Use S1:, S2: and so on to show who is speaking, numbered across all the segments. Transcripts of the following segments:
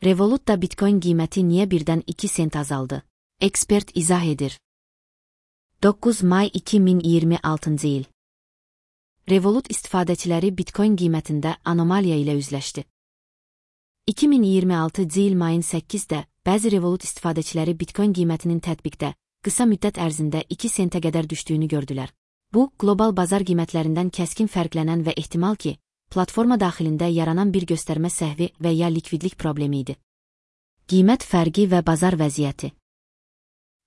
S1: Revolut'da Bitcoin qiyməti niyə birdən 2 sent azaldı? Ekspert izah edir. 9 may 2026 il. Revolut istifadəçiləri Bitcoin qiymətində anomaliya ilə üzləşdi. 2026 il mayın 8-də bəzi Revolut istifadəçiləri Bitcoin qiymətinin tətbiqdə qısa müddət ərzində 2 sentə qədər düşdüyünü gördülər. Bu, qlobal bazar qiymətlərindən kəskin fərqlənən və ehtimal ki, platforma daxilində yaranan bir göstərmə səhvi və ya likvidlik problemi idi. Qiymət fərqi və bazar vəziyyəti.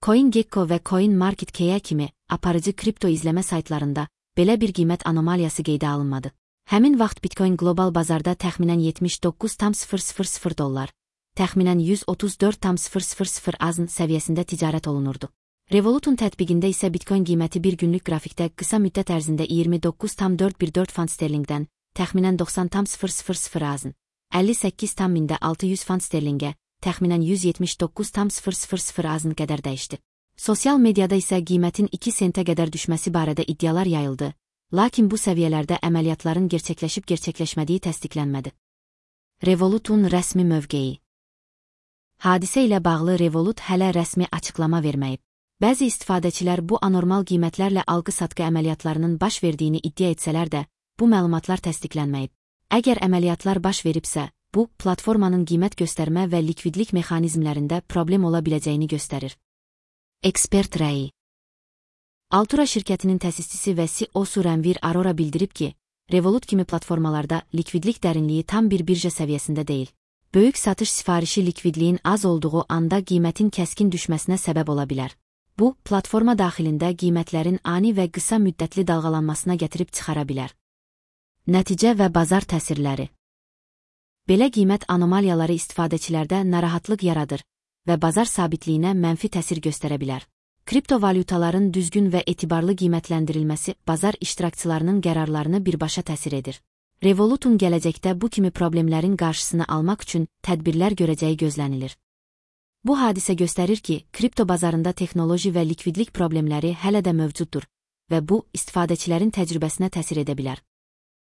S1: CoinGecko və CoinMarketCap kimi aparıcı kripto izləmə saytlarında belə bir qiymət anomaliyası qeydə alınmadı. Həmin vaxt Bitcoin qlobal bazarda təxminən $79,000, təxminən $134,000 azn səviyyəsində ticarət olunurdu. Revolut'un tətbiqində isə Bitcoin qiyməti bir günlük qrafikdə qısa müddət ərzində 29,414 fund sterlingdən təxminən 90,000 azn, 58,600 fund sterlingə, təxminən 179,000 azn qədər dəyişdi. Sosial mediada isə qiymətin 2 sentə qədər düşməsi barədə iddialar yayıldı, lakin bu səviyyələrdə əməliyyatların gerçəkləşib-gerçəkləşmədiyi təsdiqlənmədi. Revolut'un rəsmi mövqeyi. Hadisə ilə bağlı Revolut hələ rəsmi açıqlama verməyib. Bəzi istifadəçilər bu anormal qiymətlərlə alqı-satqı əməliyyatlarının baş verdiyini iddia etsələr də, bu məlumatlar təsdiqlənməyib. Əgər əməliyyatlar baş veribsə, bu, platformanın qiymət göstərmə və likvidlik mexanizmlərində problem ola biləcəyini göstərir. Ekspert rəyi. Altura şirkətinin təsisçisi və CEO-su Ranvir Arora bildirib ki, Revolut kimi platformalarda likvidlik dərinliyi tam bir birja səviyyəsində deyil. Böyük satış sifarişi likvidliyin az olduğu anda qiymətin kəskin düşməsinə səbəb ola bilər. Bu, platforma daxilində qiymətlərin ani və qısa müddətli dalğalanmasına gətirib çıxara bilər. Nəticə və bazar təsirləri. Belə qiymət anomaliyaları istifadəçilərdə narahatlıq yaradır və bazar sabitliyinə mənfi təsir göstərə bilər. Kriptovalyutaların düzgün və etibarlı qiymətləndirilməsi bazar iştirakçılarının qərarlarını birbaşa təsir edir. Revolut'un gələcəkdə bu kimi problemlərin qarşısını almaq üçün tədbirlər görəcəyi gözlənilir. Bu hadisə göstərir ki, kripto bazarında texnoloji və likvidlik problemləri hələ də mövcuddur və bu, istifadəçilərin təcrübəsinə təsir edə bilər.